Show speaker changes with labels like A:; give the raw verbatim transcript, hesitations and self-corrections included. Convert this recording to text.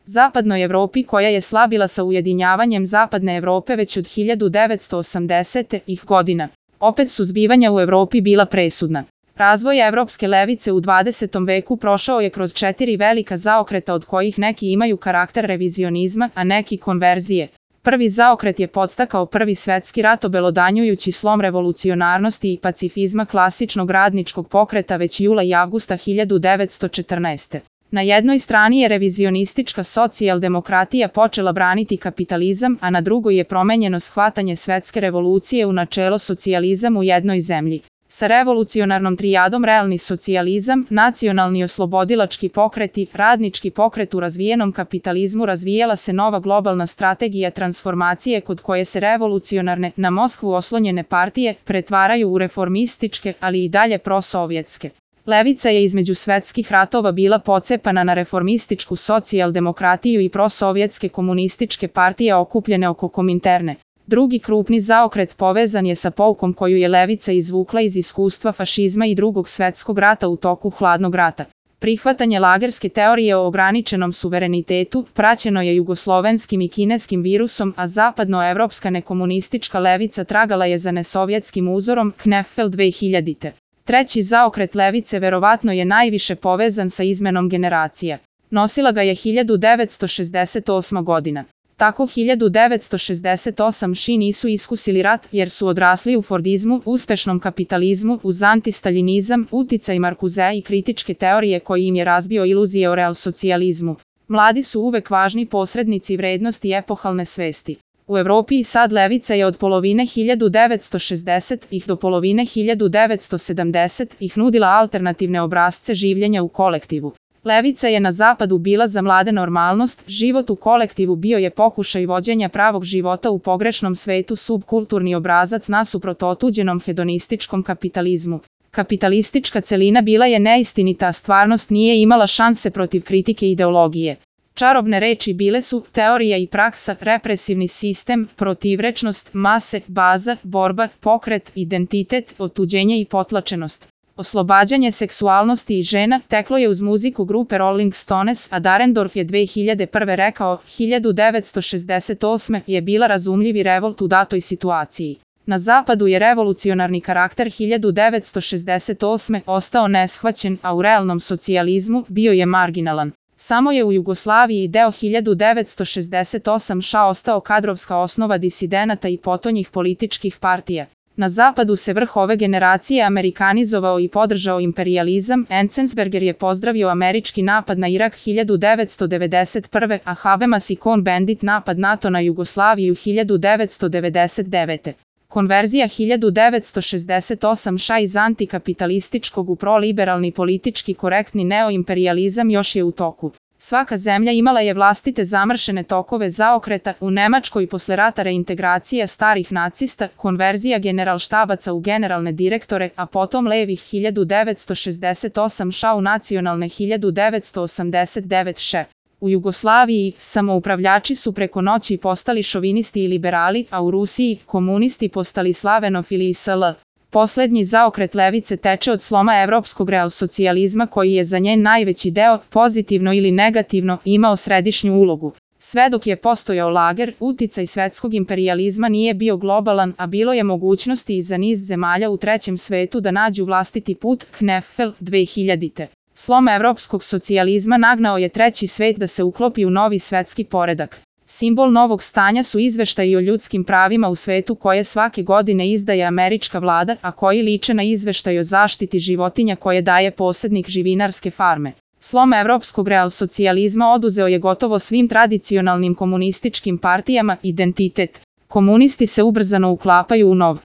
A: Zapadnoj Evropi koja je slabila sa ujedinjavanjem Zapadne Evrope već od hiljadu devetsto osamdesetih godina. Opet su zbivanja u Evropi bila presudna. Razvoj evropske levice u dvadesetom veku prošao je kroz četiri velika zaokreta od kojih neki imaju karakter revizionizma, a neki konverzije. Prvi zaokret je podstakao Prvi svetski rat obelodanjujući slom revolucionarnosti i pacifizma klasičnog radničkog pokreta već jula i avgusta hiljadu devetsto četrnaeste. Na jednoj strani je revizionistička socijaldemokratija počela braniti kapitalizam, a na drugoj je promenjeno shvatanje svetske revolucije u načelo socijalizam u jednoj zemlji. Sa revolucionarnom trijadom realni socijalizam, nacionalni oslobodilački pokreti, radnički pokret u razvijenom kapitalizmu razvijala se nova globalna strategija transformacije kod koje se revolucionarne, na Moskvu oslonjene partije pretvaraju u reformističke, ali i dalje prosovjetske. Levica je između svetskih ratova bila pocepana na reformističku socijaldemokratiju i prosovjetske komunističke partije okupljene oko Kominterne. Drugi krupni zaokret povezan je sa poukom koju je levica izvukla iz iskustva fašizma i Drugog svetskog rata u toku Hladnog rata. Prihvatanje lagerske teorije o ograničenom suverenitetu praćeno je jugoslovenskim i kineskim virusom, a zapadnoevropska nekomunistička levica tragala je za nesovjetskim uzorom Knefeld dve hiljadite. Treći zaokret levice verovatno je najviše povezan sa izmenom generacija. Nosila ga je hiljadu devetsto šezdeset osma godina. Tako hiljadu devetsto šezdeset osme nisu iskusili rat jer su odrasli u fordizmu, uspešnom kapitalizmu, uz antistaljinizam, uticaj Markuzea i kritičke teorije koji im je razbio iluzije o realsocijalizmu. Mladi su uvek važni posrednici vrednosti epohalne svesti. U Evropi i sad levica je od polovine hiljadu devetsto šezdesetih do polovine hiljadu devetsto sedamdesetih nudila alternativne obrasce življenja u kolektivu. Levica je na zapadu bila za mlade normalnost, život u kolektivu bio je pokušaj vođenja pravog života u pogrešnom svetu, subkulturni obrazac nasuprot otuđenom hedonističkom kapitalizmu. Kapitalistička celina bila je neistinita, a stvarnost nije imala šanse protiv kritike ideologije. Čarobne reči bile su teorija i praksa, represivni sistem, protivrečnost, mase, baza, borba, pokret, identitet, otuđenje i potlačenost. Oslobađanje seksualnosti i žena teklo je uz muziku grupe Rolling Stones, a Dahrendorf je dve hiljade prve rekao, hiljadu devetsto šezdeset osme je bila razumljivi revolt u datoj situaciji. Na zapadu je revolucionarni karakter hiljadu devetsto šezdeset osme ostao neshvaćen, a u realnom socijalizmu bio je marginalan. Samo je u Jugoslaviji deo hiljadu devetsto šezdeset osme ostao kadrovska osnova disidenata i potonjih političkih partija. Na zapadu se vrh ove generacije amerikanizovao i podržao imperijalizam, Enzensberger je pozdravio američki napad na Irak hiljadu devetsto devedeset prve, a Habemas i Cohn-Bendit napad NATO na Jugoslaviju hiljadu devetsto devedeset devete. Konverzija hiljadu devetsto šezdeset osme iz antikapitalističkog u proliberalni politički korektni neoimperijalizam još je u toku. Svaka zemlja imala je vlastite zamršene tokove zaokreta, u Nemačkoj posle rata reintegracija starih nacista, konverzija generalštabaca u generalne direktore, a potom levih hiljadu devetsto šezdeset osme u nacionalne hiljadu devetsto osamdeset devete. U Jugoslaviji samoupravljači su preko noći postali šovinisti i liberali, a u Rusiji komunisti postali slavenofili i sl. Poslednji zaokret levice teče od sloma evropskog realsocijalizma koji je za njen najveći deo, pozitivno ili negativno, imao središnju ulogu. Sve dok je postojao lager, uticaj svetskog imperijalizma nije bio globalan, a bilo je mogućnosti i za niz zemalja u trećem svetu da nađu vlastiti put, Knefeld dve hiljadite. Slom evropskog socijalizma nagnao je treći svet da se uklopi u novi svetski poredak. Simbol novog stanja su izveštaji o ljudskim pravima u svetu koje svake godine izdaje američka vlada, a koji liče na izveštaj o zaštiti životinja koje daje posjednik živinarske farme. Slom evropskog realsocijalizma oduzeo je gotovo svim tradicionalnim komunističkim partijama identitet. Komunisti se ubrzano uklapaju u nov